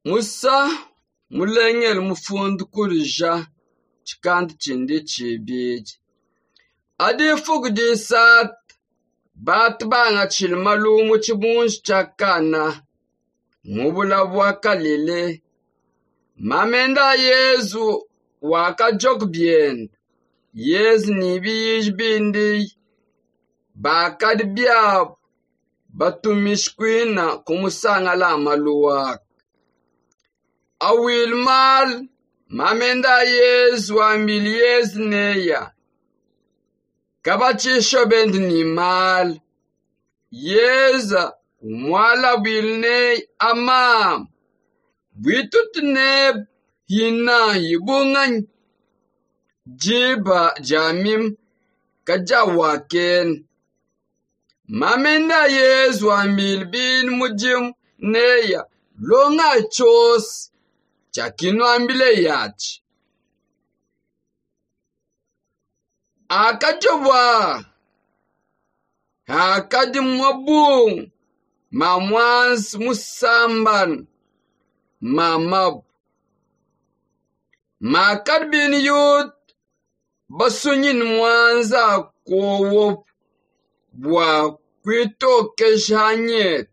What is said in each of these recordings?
Musa mulengele mufundu kulija chikanda chindi chibidi. Adifuku disatu batu banga chili malumu chibunji chakana mubula bwa kalile. Mamenda Yezu wakajok bienda. Yezu ni biyiji bindi bakadi byabo batumishkwina kumusanga la maluwaka. Awil mal mamenda Yezu ambili Yezu neya. Kabachisho bendi ni mal. Yeza umwala bilne amam. Bwitutne hina yibungan. Jiba jamim kajawaken. Mamenda Yezu ambil bin mujim neya. Longa chos chakino ambile yachi. Akajobwa akadi mwabu mamwansi musamban mamabu makadbini yut basunyin mwanza kowo bwa kwitokeshanyet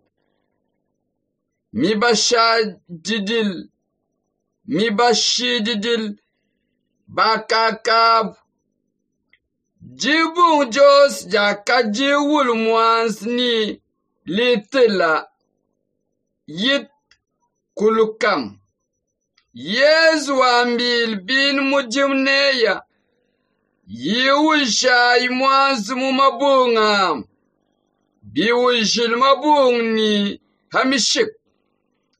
mibashididil bakakab Jibung jos jakajiwul mwansi ni litila yit kulukam. Yezu ambil bin mujimneya yiwushay mwansi mumabungam. Biwushil mabung ni hamishik.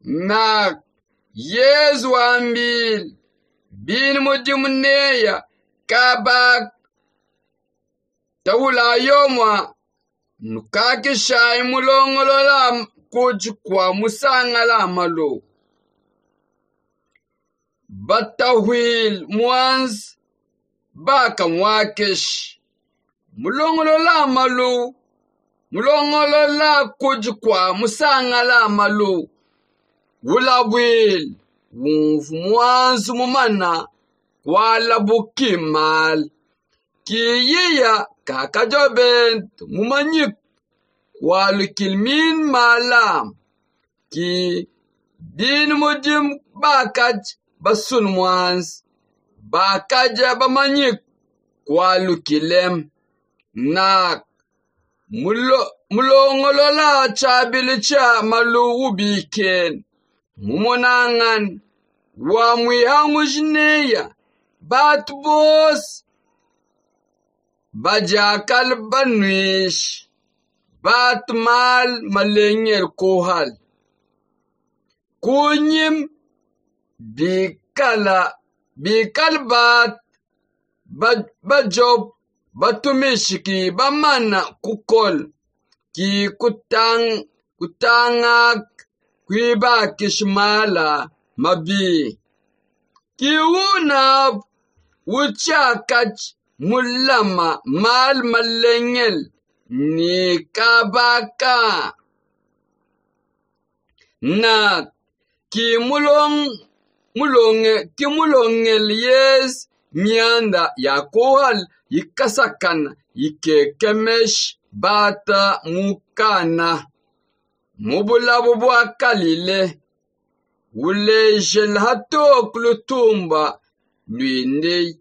Nak Yezu ambil bin mujimneya kabak Tawula yomwa nukakisha imulongolola kujikwa musangala malo. Batawil mwanz baka mwakish. Mulongolola malo. Mulongolola kujikwa musangala malo. Wulawil mwanz mumana wala bukimal. Kiyiya kakajobent mumanyik walukilmin malam ki bin mujim bakaj basun mwans bakaja bamanyik walukilem nak mulongolola chabilicha malu ubiken mumonangan wa mwihangujineya batbos Bajakal banwish batmal malengel kohal kunyim bikala bikalbat bajob batumishiki bamana kukol ki kutang kutangak kwiba kishmala mabi kiuna wuchakach mulama mal malengel ni kabaka na ki mulong ki mulongel yes mianda ya kohal yikasakana yikekemesh bata mukana mubulabu bwakalile ulejel hatok lutumba lwinde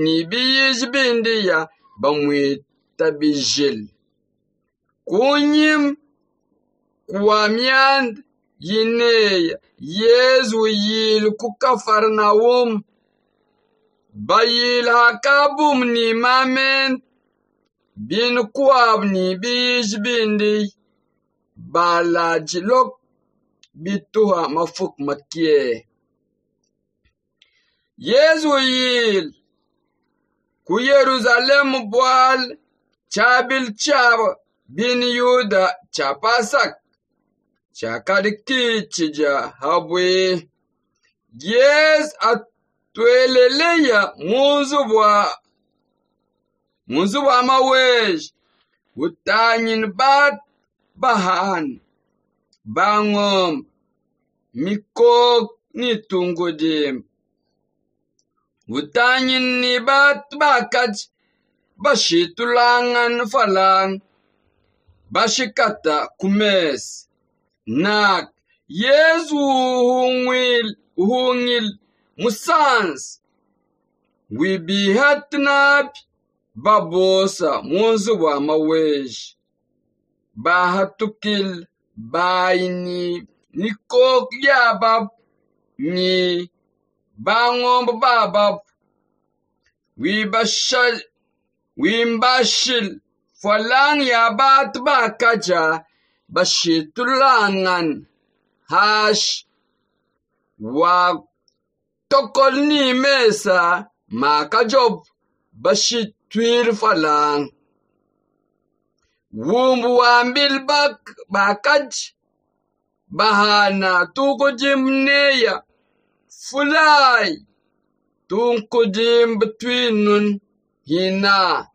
ni biyizbindiya bamwitabijil kunyim kwamyand yineya Yezu yil ku Kafarnaum bayil hakabum ni mamen bin kwab ni biyizbindi balajilok bituha mafuk makie Yezu yil ku Yerusalem bwal chabil chab bin Yuda chapasak chakadiki chija habwe Yes atweleleya munzu bwa mawej utanyin bat bahan bangom Mikoko ni tungudimba. Utangile ni bantu bakadi bashintulangana mfranga, bashikata ku mesa. Naka Yezu uhungile musanza wibihata nabi babosa munzubu wa maweji. Bahatukile bayi ni mikoko yababu ni bangombe bababu. Wimbashile mfranga ya bantu bakaja bashintulangana hashi. Watokola ni mesa makajobu bashintwile mfranga. Wumbu wambile bakaji bahana tukudimba neya fulayi tunkudimba twinunu hina.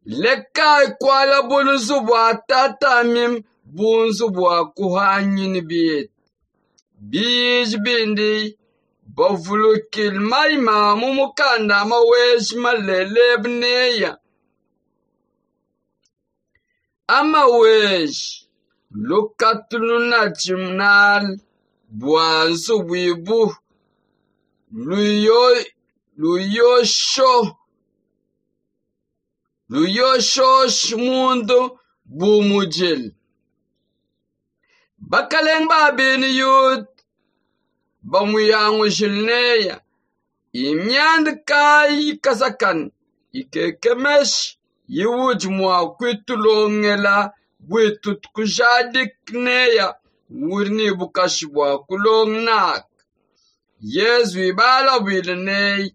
Lekayi kwala buluzu bwa tata mimi bunzu bwa kuhanyina bintu. Biji bindi bavulukile mayima mu mukanda maweji malele neya. Amaweji lukatu lunadi nali bwa nzubu ibu luyoshosha mundu bumujile. Bakalenge babene yuda bamuyangujile neya. Imyanda kayi ikasakana ikekemesha yiwudi mwa kwitulongela bwitu kujadika neya uri ni bukashi bwa kulonga naka. Yezu ibala bwile neyi.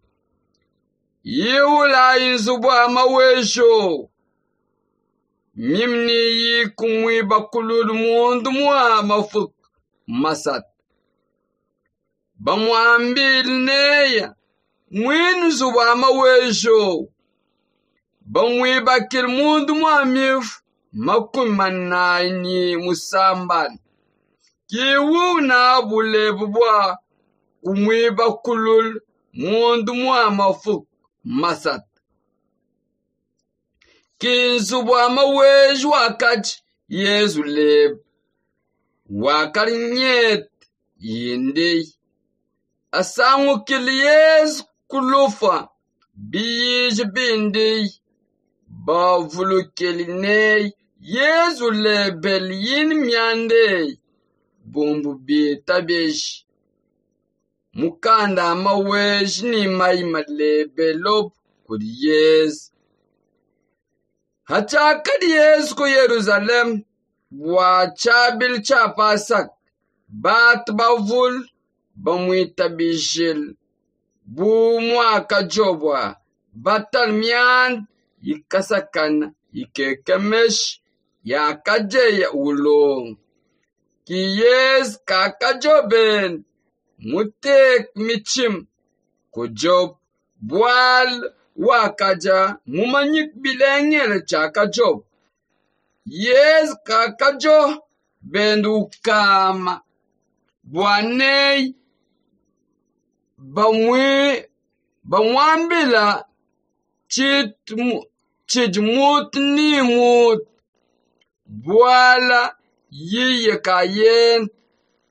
Yiwula inzubu ya mawejo. Mimni yikumwiba kululu mundu mwa mafuku masata. Bamwambile neya mwinu nzubu ya mawejo. Bamwibakile mundu mwa mifu 40 ni musambana. Kiwu na bulebu bwa kumwiba kululu mundu mwa mafuku masata. Kinzu bwa maweji wakati Yezu leba wakalinyete yindi. Asangukile Yezu kulufa biyiji bindi bavulukile neyi Yezu lebele yini myande bumbu bitabeji. Mukanda maweji ni mayima lebelo kuli Yezu. Hachakali Yezu ku Yerusalemu bwa chabili cha Pasaka. Batu bavulu bamwitabijile bu mwaka jobwa batali myanda yikasakana ikekemesha yakajeya ulongo. Ki Yezu kakajobeni muteke michima kujobu bwala wakaja mumanyike bilengele chakajobu. Yezu kakajo benda ukama bwaneyi bamwambila chidi mutu ni mutu bwala yiye kayenda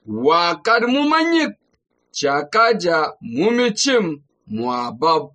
wakali mumanyike chakaja mumichima mwa babu.